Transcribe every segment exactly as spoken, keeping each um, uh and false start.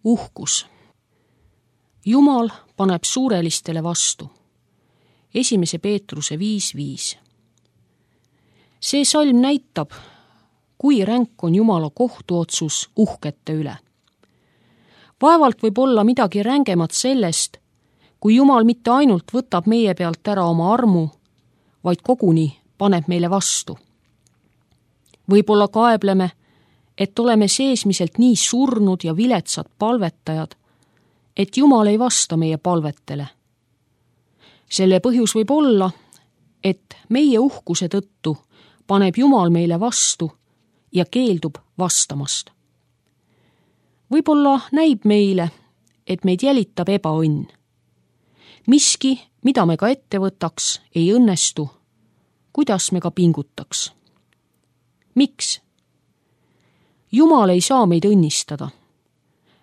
Uhkus. Jumal paneb suurelistele vastu. Esimese Peetruse viis viis. See salm näitab, kui ränk on Jumala kohtuotsus uhkete üle. Vaevalt võib olla midagi rängemat sellest, kui Jumal mitte ainult võtab meie pealt ära oma armu, vaid koguni paneb meile vastu. Võib-olla kaebleme, et oleme seesmiselt nii surnud ja viletsad palvetajad, et Jumal ei vasta meie palvetele. Selle põhjus võib olla, et meie uhkuse tõttu paneb Jumal meile vastu ja keeldub vastamast. Võib-olla näib meile, et meid jälitab ebaõnn. Miski, mida me ka ette võtaks, ei õnnestu, kuidas me ka pingutaks. Miks? Jumal ei saa meid õnnistada.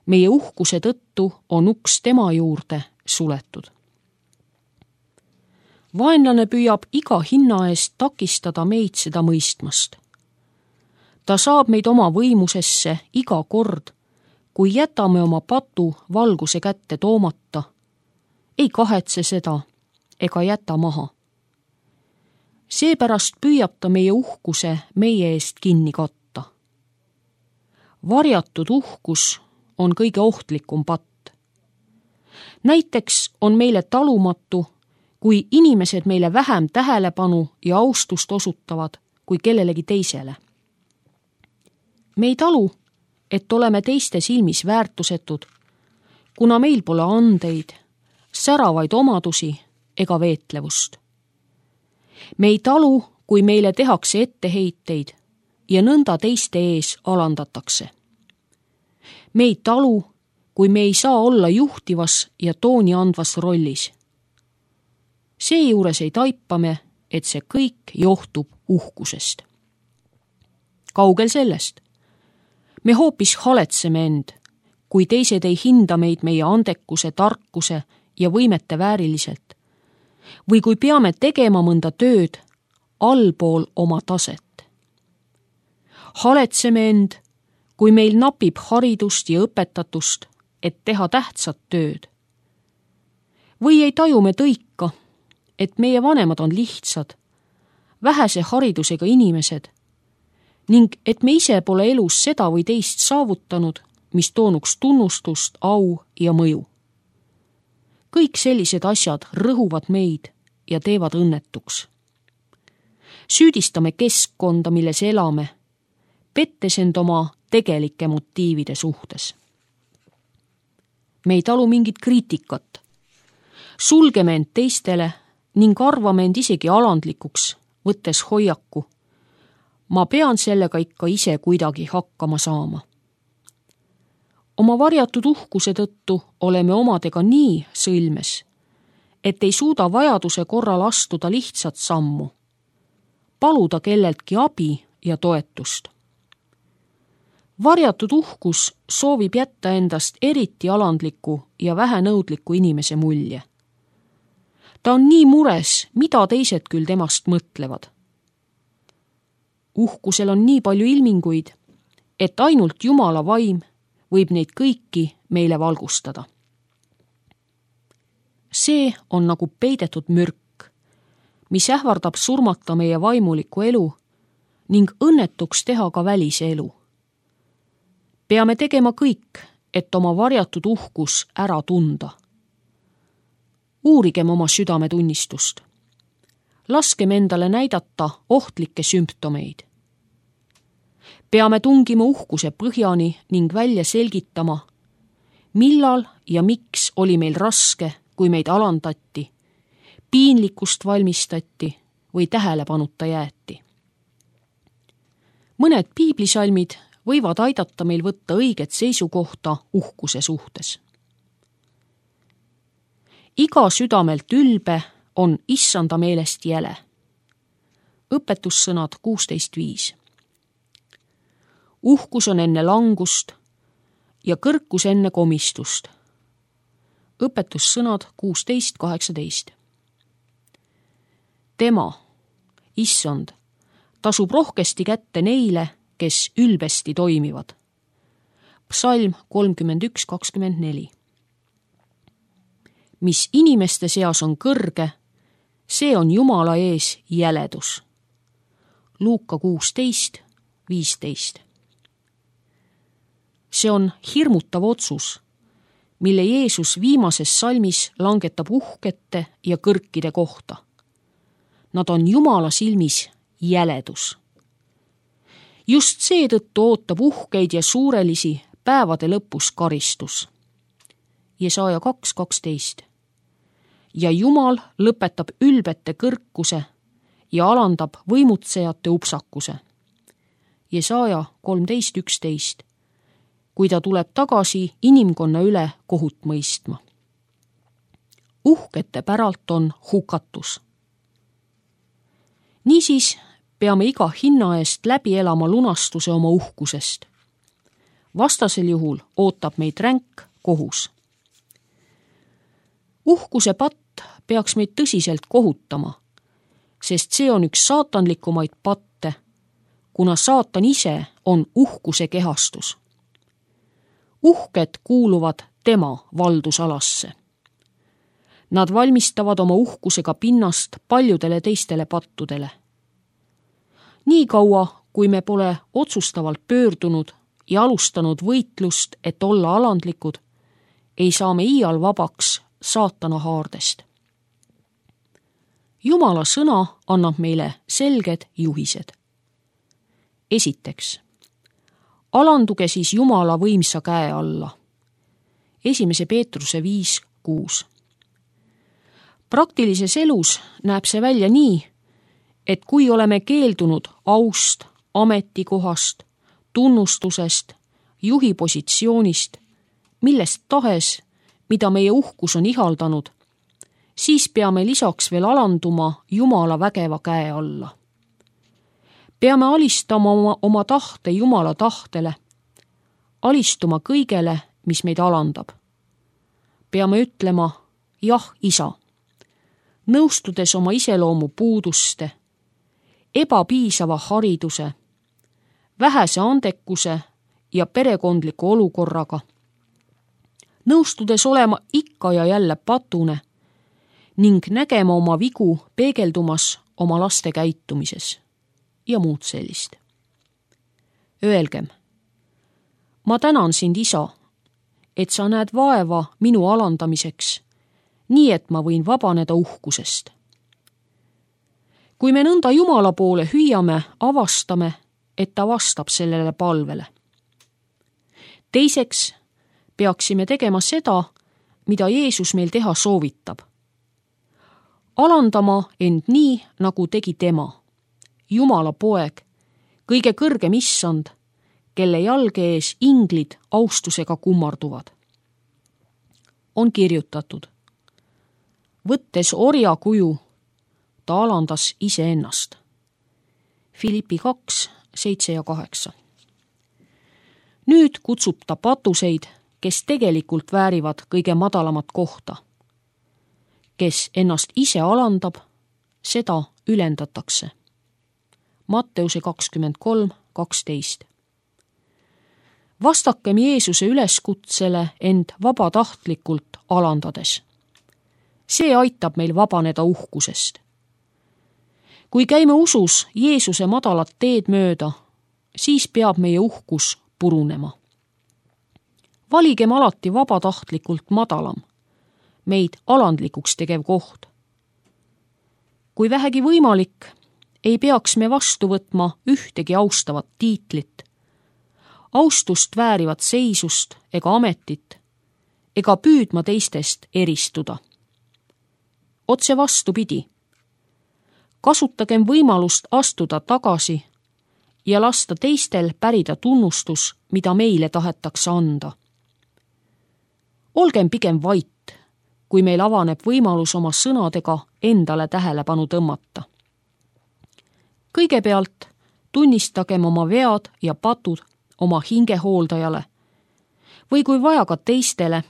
Meie uhkuse tõttu on uks tema juurde suletud. Vaenlane püüab iga hinna eest takistada meid seda mõistmast. Ta saab meid oma võimusesse iga kord, kui jätame oma patu valguse kätte toomata, ei kahetse seda ega jäta maha. Seepärast püüab ta meie uhkuse meie eest kinni katta. Varjatud uhkus on kõige ohtlikum patt. Näiteks on meile talumatu, kui inimesed meile vähem tähelepanu ja austust osutavad kui kellelegi teisele. Me ei talu, et oleme teiste silmis väärtusetud, kuna meil pole andeid, säravaid omadusi ega veetlevust. Me ei talu, kui meile tehakse etteheiteid ja nõnda teiste ees alandatakse. Me ei talu, kui me ei saa olla juhtivas ja tooni andvas rollis. Seejuures ei taipame, et see kõik johtub uhkusest. Kaugel sellest. Me hoopis haletseme end, kui teised ei hinda meid meie andekuse, tarkuse ja võimete vääriliselt, või kui peame tegema mõnda tööd allpool oma taset. Haletseme end, kui meil napib haridust ja õpetatust, et teha tähtsat tööd. Või ei taju me tõika, et meie vanemad on lihtsad, vähese haridusega inimesed ning et me ise pole elus seda või teist saavutanud, mis toonuks tunnustust, au ja mõju. Kõik sellised asjad rõhuvad meid ja teevad õnnetuks. Süüdistame keskkonda, milles elame, pettes end oma tegelike motiivide suhtes. Me ei talu mingit kriitikat. Sulgeme end teistele ning arvame end isegi alandlikuks, võttes hoiaku. Ma pean sellega ikka ise kuidagi hakkama saama. Oma varjatud uhkuse tõttu oleme omadega nii sõlmes, et ei suuda vajaduse korral astuda lihtsat sammu, paluda kelleltki abi ja toetust. Varjatud uhkus soovib jätta endast eriti alandliku ja vähenõudliku inimese mulje. Ta on nii mures, mida teised küll temast mõtlevad. Uhkusel on nii palju ilminguid, et ainult Jumala vaim võib neid kõiki meile valgustada. See on nagu peidetud mürk, mis ähvardab surmata meie vaimulikku elu ning õnnetuks teha ka välise elu. Peame tegema kõik, et oma varjatud uhkus ära tunda. Uurigem oma südametunnistust. Laskem endale näidata ohtlikke sümptomeid. Peame tungima uhkuse põhjani ning välja selgitama, millal ja miks oli meil raske, kui meid alandati, piinlikkust valmistati või tähelepanuta jäeti. Mõned piiblisalmid võivad aidata meil võtta õiget seisukohta uhkuse suhtes. Iga südamelt ülbe on issanda meelest jäle. Õpetussõnad kuusteist viis. Uhkus on enne langust ja kõrkus enne komistust. Õpetussõnad kuusteist kaheksateist. Tema, issand, tasub rohkesti kätte neile, kes ülbesti toimivad. Psalm kolmkümmend üks kakskümmend neli. Mis inimeste seas on kõrge, see on Jumala ees jäledus. Luuka kuusteist viisteist. See on hirmutav otsus, mille Jeesus viimases salmis langetab uhkete ja kõrkide kohta. Nad on Jumala silmis jäledus. Just seetõttu ootab uhkeid ja suurelisi päevade lõpus karistus. Jesaja kaks kaksteist. Ja Jumal lõpetab ülbete kõrkuse ja alandab võimutsejate upsakuse. Jesaja kolmteist üksteist. Kui ta tuleb tagasi inimkonna üle kohut mõistma. Uhkete päralt on hukatus. Niisiis peame iga hinna eest läbi elama lunastuse oma uhkusest. Vastasel juhul ootab meid ränk kohus. Uhkuse patt peaks meid tõsiselt kohutama, sest see on üks saatanlikumaid patte, kuna saatan ise on uhkuse kehastus. Uhked kuuluvad tema valdusalasse. Nad valmistavad oma uhkusega pinnast paljudele teistele pattudele. Nii kaua, kui me pole otsustavalt pöördunud ja alustanud võitlust, et olla alandlikud, ei saa me iial vabaks saatana haardest. Jumala sõna annab meile selged juhised. Esiteks, alanduge siis Jumala võimsa käe alla. Esimese Peetruse viis kuus. Praktilises elus näeb see välja nii, et kui oleme keeldunud aust, ametikohast, tunnustusest, juhi positsioonist, millest tahes, mida meie uhkus on ihaldanud, siis peame lisaks veel alanduma Jumala vägeva käe alla. Peame alistama oma, oma tahte Jumala tahtele, alistuma kõigele, mis meid alandab. Peame ütlema, jah, isa, nõustudes oma iseloomu puuduste, ebapiisava hariduse, vähese andekuse ja perekondliku olukorraga, nõustudes olema ikka ja jälle patune ning nägema oma vigu peegeldumas oma laste käitumises ja muud sellist. Öelgem, ma tänan sind, isa, et sa näed vaeva minu alandamiseks, nii et ma võin vabaneda uhkusest. Kui me nõnda Jumala poole hüüame, avastame, et ta vastab sellele palvele. Teiseks peaksime tegema seda, mida Jeesus meil teha soovitab. Alandama end nii, nagu tegi tema, Jumala poeg, kõige kõrgem issand, kelle jalge ees inglid austusega kummarduvad. On kirjutatud, võttes orja kuju, ta alandas iseennast. Filippi kaks, seitse ja kaheksa. Nüüd kutsub ta patuseid, kes tegelikult väärivad kõige madalamat kohta. Kes ennast ise alandab, seda ülendatakse. Matteuse kakskümmend kolm kaksteist. Vastakem Jeesuse üleskutsele end vabatahtlikult alandades. See aitab meil vabaneda uhkusest. Kui käime usus Jeesuse madalat teed mööda, siis peab meie uhkus purunema. Valigem alati vabatahtlikult madalam, meid alandlikuks tegev koht. Kui vähegi võimalik, ei peaks me vastu võtma ühtegi austavat tiitlit, austust väärivat seisust ega ametit, ega püüdma teistest eristuda. Otse vastupidi, kasutagem võimalust astuda tagasi ja lasta teistel pärida tunnustus, mida meile tahetakse anda. Olgem pigem vait, kui meil avaneb võimalus oma sõnadega endale tähelepanu tõmmata. Kõigepealt tunnistagem oma vead ja patud oma hingehooldajale või kui vaja ka teistele,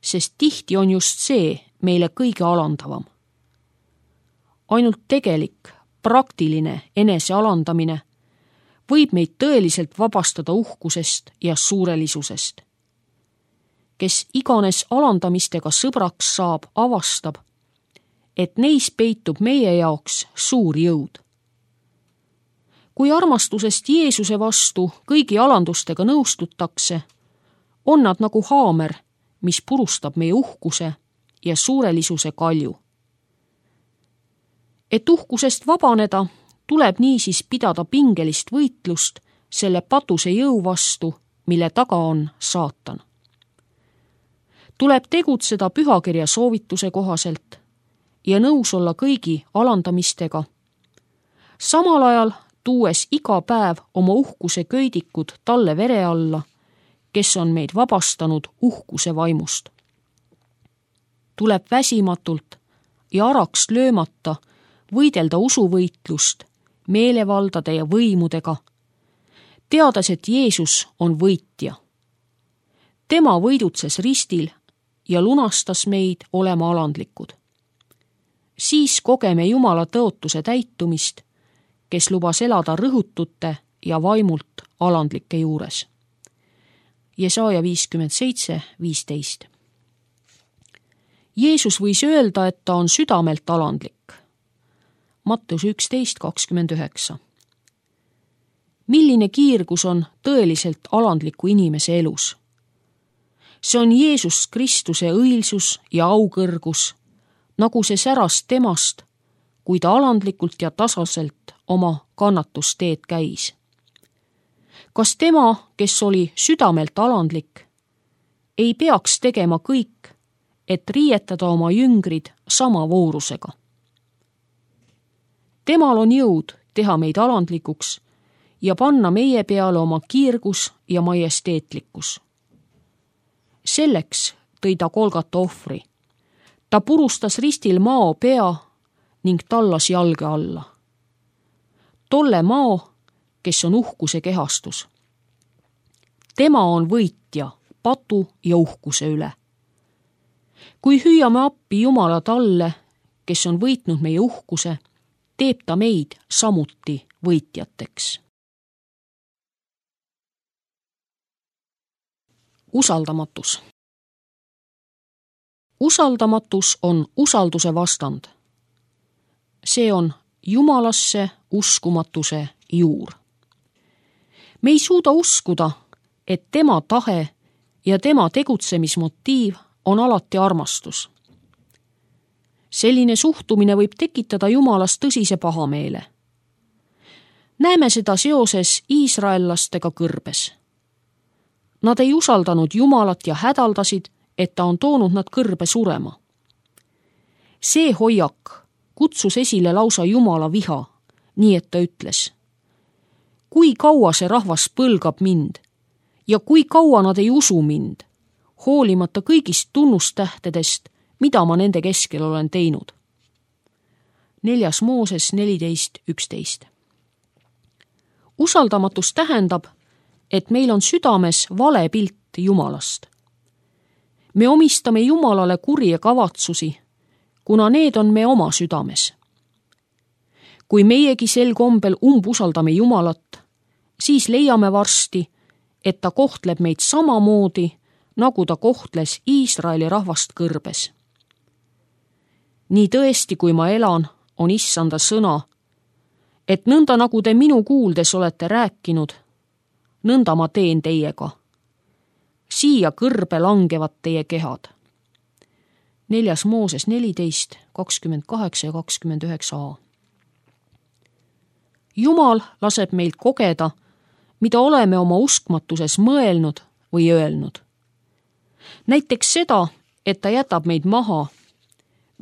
sest tihti on just see meile kõige alandavam. Ainult tegelik, praktiline enese alandamine võib meid tõeliselt vabastada uhkusest ja suurelisusest. Kes iganes alandamistega sõbraks saab, avastab, et neis peitub meie jaoks suur jõud. Kui armastusest Jeesuse vastu kõigi alandustega nõustutakse, on nad nagu haamer, mis purustab meie uhkuse ja suurelisuse kalju. Et uhkusest vabaneda, tuleb niisiis pidada pingelist võitlust selle patuse jõu vastu, mille taga on saatan. Tuleb tegutseda pühakirja soovituse kohaselt ja nõus olla kõigi alandamistega, samal ajal tuues iga päev oma uhkuse köidikud talle vere alla, kes on meid vabastanud uhkuse vaimust. Tuleb väsimatult ja araks löömata võidelda usuvõitlust meelevaldade ja võimudega, teades, et Jeesus on võitja. Tema võidutses ristil ja lunastas meid olema alandlikud. Siis kogeme Jumala tõotuse täitumist, kes lubas elada rõhutute ja vaimult alandlike juures. Jesaja viiskümmend seitse viisteist. Jeesus võis öelda, et ta on südamelt alandlik. Matteus üksteist kakskümmend üheksa. Milline kiirgus on tõeliselt alandliku inimese elus? See on Jeesus Kristuse õilsus ja aukõrgus, nagu see säras temast, kui ta alandlikult ja tasaselt oma kannatusteed käis. Kas tema, kes oli südamelt alandlik, ei peaks tegema kõik, et riietada oma jüngrid sama voorusega? Temal on jõud teha meid alandlikuks ja panna meie peale oma kiirgus ja majesteetlikkus. Selleks tõi ta Golgata ohvri. Ta purustas ristil mao pea ning tallas jalge alla. Tolle mao, kes on uhkuse kehastus. Tema on võitja patu ja uhkuse üle. Kui hüüame appi Jumala talle, kes on võitnud meie uhkuse, teeb ta meid samuti võitjateks. Usaldamatus. Usaldamatus on usalduse vastand. See on Jumalasse uskumatuse juur. Me ei suuda uskuda, et tema tahe ja tema tegutsemismotiiv on alati armastus. Selline suhtumine võib tekitada Jumalas tõsise pahameele. Näeme seda seoses iisraellastega kõrbes. Nad ei usaldanud Jumalat ja hädaldasid, et ta on toonud nad kõrbe surema. See hoiak kutsus esile lausa Jumala viha, nii et ta ütles: kui kaua see rahvas põlgab mind ja kui kaua nad ei usu mind, hoolimata kõigist tunnustähtedest, mida ma nende keskel olen teinud. Neljas Mooses neliteist üksteist. Usaldamatus tähendab, et meil on südames vale pilt Jumalast. Me omistame Jumalale kurje kavatsusi, kuna need on me oma südames. Kui meiegi sel kombel umbusaldame Jumalat, siis leiame varsti, et ta kohtleb meid samamoodi, nagu ta kohtles Iisraeli rahvast kõrbes. Nii tõesti, kui ma elan, on Issanda sõna, et nõnda nagu te minu kuuldes olete rääkinud, nõnda ma teen teiega. Siia kõrbe langevad teie kehad. Neljas Mooses neliteist kakskümmend kaheksa ja kakskümmend üheksa a. Jumal laseb meilt kogeda, mida oleme oma uskmatuses mõelnud või öelnud. Näiteks seda, et ta jätab meid maha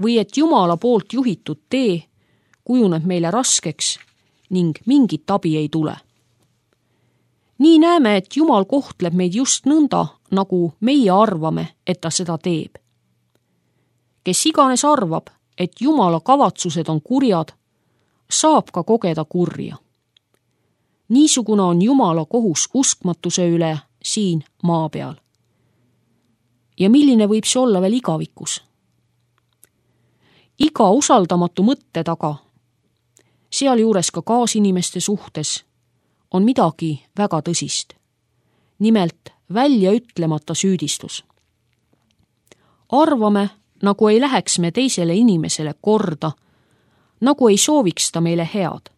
või et Jumala poolt juhitud tee kujuneb meile raskeks ning mingit abi ei tule. Nii näeme, et Jumal kohtleb meid just nõnda, nagu meie arvame, et ta seda teeb. Kes iganes arvab, et Jumala kavatsused on kurjad, saab ka kogeda kurja. Niisugune on Jumala kohus uskmatuse üle siin maa peal. Ja milline võib see olla veel igavikus? Iga usaldamatu mõtte taga, sealjuures ka kaasinimeste suhtes, on midagi väga tõsist. Nimelt välja ütlemata süüdistus. Arvame, nagu ei läheks me teisele inimesele korda, nagu ei sooviks ta meile head.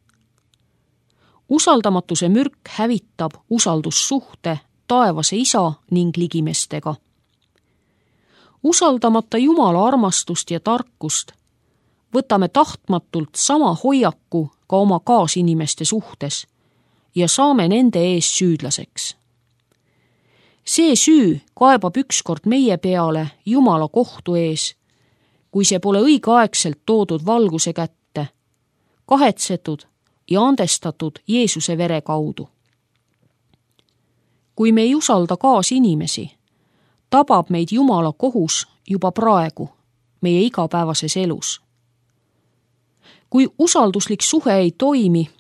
Usaldamatuse mürk hävitab usaldussuhte taevase isa ning ligimestega. Usaldamata Jumala armastust ja tarkust, võtame tahtmatult sama hoiaku ka oma kaasinimeste suhtes ja saame nende ees süüdlaseks. See süü kaebab ükskord meie peale Jumala kohtu ees, kui see pole õigeaegselt toodud valguse kätte, kahetsetud ja andestatud Jeesuse vere kaudu. Kui me ei usalda kaasinimesi, tabab meid Jumala kohus juba praegu meie igapäevases elus. Kui usalduslik suhe ei toimi,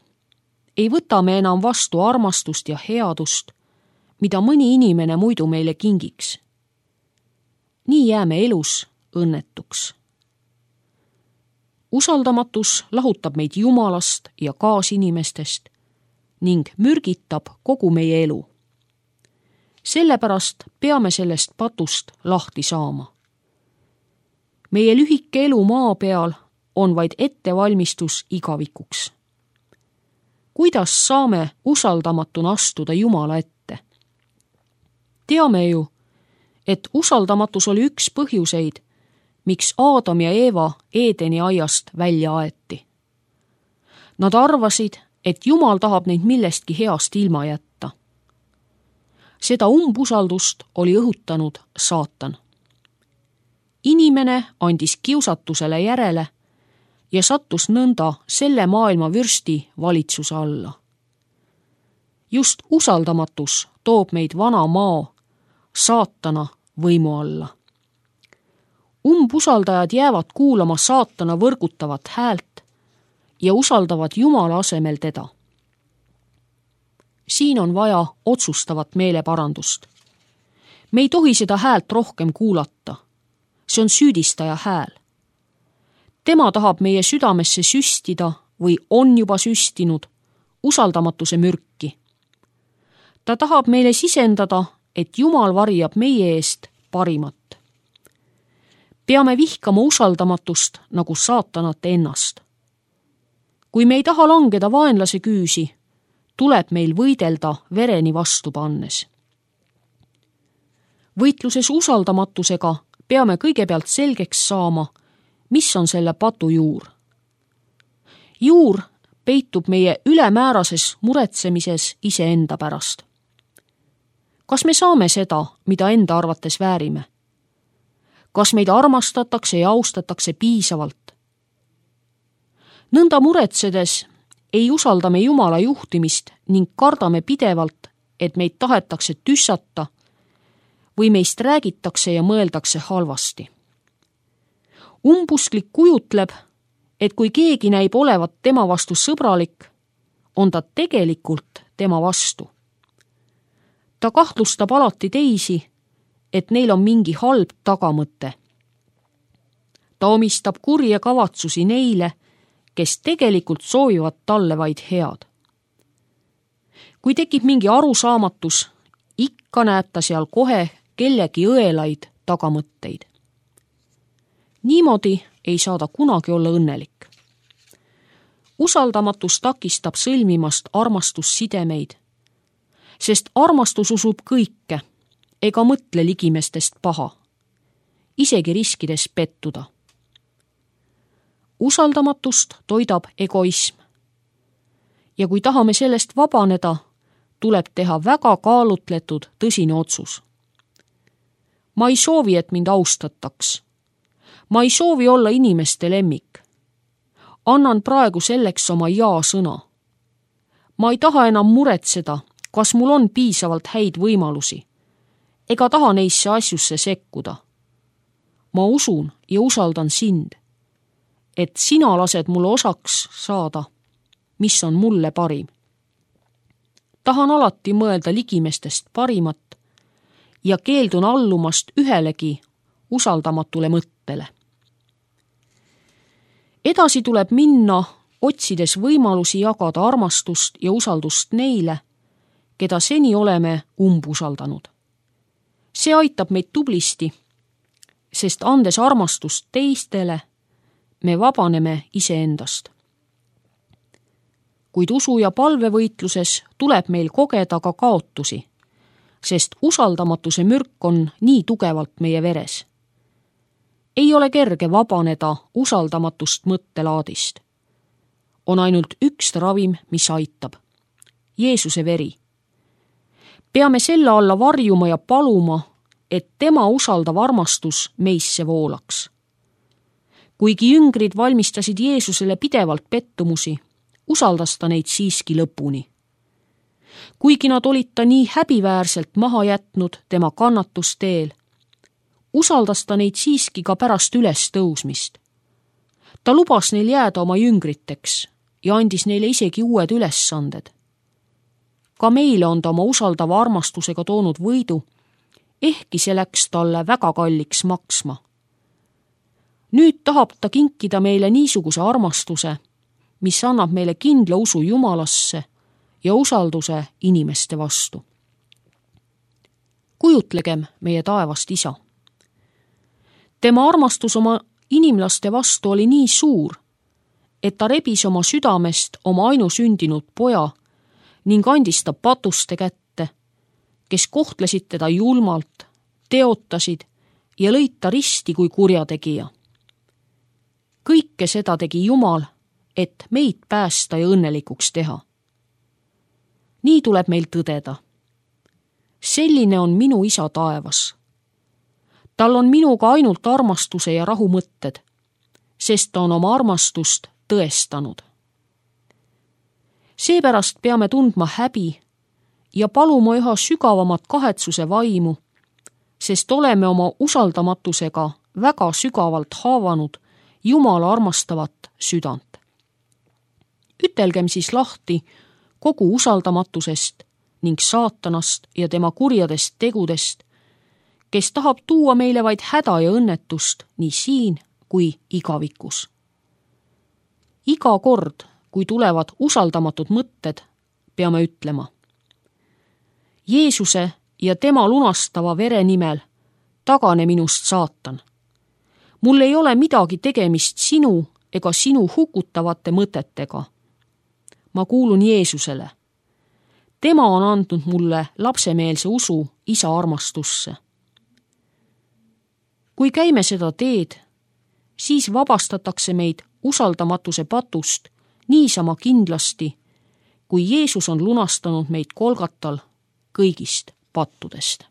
ei võta me enam vastu armastust ja headust, mida mõni inimene muidu meile kingiks. Nii jääme elus õnnetuks. Usaldamatus lahutab meid Jumalast ja kaasinimestest ning mürgitab kogu meie elu. Sellepärast peame sellest patust lahti saama. Meie lühike elu maa peal on vaid ettevalmistus igavikuks. Kuidas saame usaldamatuna astuda Jumala ette? Teame ju, et usaldamatus oli üks põhjuseid, miks Aadam ja Eeva Eedeni aiast välja aeti. Nad arvasid, et Jumal tahab neid millestki heast ilma jätta. Seda umbusaldust oli õhutanud saatan. Inimene andis kiusatusele järele ja sattus nõnda selle maailma vürsti valitsuse alla. Just usaldamatus toob meid vana maa, saatana võimu alla. Umbusaldajad jäävad kuulama saatana võrgutavat häält ja usaldavad Jumala asemel teda. Siin on vaja otsustavat meeleparandust. Me ei tohi seda häält rohkem kuulata. See on süüdistaja hääl. Tema tahab meie südamesse süstida või on juba süstinud usaldamatuse mürki. Ta tahab meile sisendada, et Jumal varjab meie eest parimat. Peame vihkama usaldamatust nagu saatanat ennast. Kui me ei taha langeda vaenlase küüsi, tuleb meil võidelda vereni vastu pannes. Võitluses usaldamatusega peame kõigepealt selgeks saama, mis on selle patu juur. Juur peitub meie ülemäärases muretsemises iseenda pärast. Kas me saame seda, mida enda arvates väärime? Kas meid armastatakse ja austatakse piisavalt? Nõnda muretsedes ei usalda me Jumala juhtimist ning kardame pidevalt, et meid tahetakse tüssata või meist räägitakse ja mõeldakse halvasti. Umbusklik kujutleb, et kui keegi näib olevat tema vastu sõbralik, on ta tegelikult tema vastu. Ta kahtlustab alati teisi, et neil on mingi halb tagamõte. Ta omistab kurje kavatsusi neile, kes tegelikult soovivad talle vaid head. Kui tekib mingi arusaamatus, ikka näeb ta seal kohe kellegi õelaid tagamõtteid. Niimoodi ei saa ta kunagi olla õnnelik. Usaldamatus takistab sõlmimast armastussidemeid, sest armastus usub kõike ega mõtle ligimestest paha, isegi riskides pettuda. Usaldamatust toidab egoism. Ja kui tahame sellest vabaneda, tuleb teha väga kaalutletud tõsine otsus. Ma ei soovi, et mind austataks. Ma ei soovi olla inimeste lemmik. Annan praegu selleks oma jaa-sõna. Ma ei taha enam muretseda, kas mul on piisavalt häid võimalusi, ega taha neisse asjusse sekkuda. Ma usun ja usaldan sind, et sina lased mulle osaks saada, mis on mulle parim. Tahan alati mõelda ligimestest parimat ja keeldun allumast ühelegi usaldamatule mõttele. Edasi tuleb minna, otsides võimalusi jagada armastust ja usaldust neile, keda seni oleme umbusaldanud. See aitab meid tublisti, sest andes armastust teistele, me vabaneme iseendast. Kuid usu- ja palvevõitluses tuleb meil kogeda ka kaotusi, sest usaldamatuse mürk on nii tugevalt meie veres. Ei ole kerge vabaneda usaldamatust mõttelaadist. On ainult üks ravim, mis aitab. Jeesuse veri. Peame selle alla varjuma ja paluma, et tema usaldav armastus meisse voolaks. Kuigi jüngrid valmistasid Jeesusele pidevalt pettumusi, usaldas ta neid siiski lõpuni. Kuigi nad olid ta nii häbiväärselt maha jätnud tema kannatusteel, usaldas ta neid siiski ka pärast üles tõusmist. Ta lubas neil jääda oma jüngriteks ja andis neile isegi uued ülesanded. Ka meile on ta oma usaldava armastusega toonud võidu, ehkki see läks talle väga kalliks maksma. Nüüd tahab ta kinkida meile niisuguse armastuse, mis annab meile kindla usu Jumalasse ja usalduse inimeste vastu. Kujutlegem meie taevast isa. Tema armastus oma inimlaste vastu oli nii suur, et ta rebis oma südamest oma ainusündinud poja ning andis ta patuste kätte, kes kohtlesid teda julmalt, teotasid ja lõid ta risti kui kurjategija. Kõike seda tegi Jumal, et meid päästa ja õnnelikuks teha. Nii tuleb meil tõdeda. Selline on minu isa taevas. Tal on minuga ainult armastuse ja rahu mõtted, sest ta on oma armastust tõestanud. Seepärast peame tundma häbi ja paluma üha sügavamat kahetsuse vaimu, sest oleme oma usaldamatusega väga sügavalt haavanud Jumala armastavat südant. Ütelgem siis lahti kogu usaldamatusest ning saatanast ja tema kurjadest tegudest, kes tahab tuua meile vaid häda ja õnnetust nii siin kui igavikus. Iga kord, kui tulevad usaldamatud mõtted, peame ütlema: Jeesuse ja tema lunastava vere nimel tagane minust saatan. Mul ei ole midagi tegemist sinu ega sinu hukutavate mõtetega. Ma kuulun Jeesusele. Tema on andnud mulle lapsemeelse usu isa armastusse. Kui käime seda teed, siis vabastatakse meid usaldamatuse patust niisama kindlasti, kui Jeesus on lunastanud meid Kolgatal kõigist pattudest.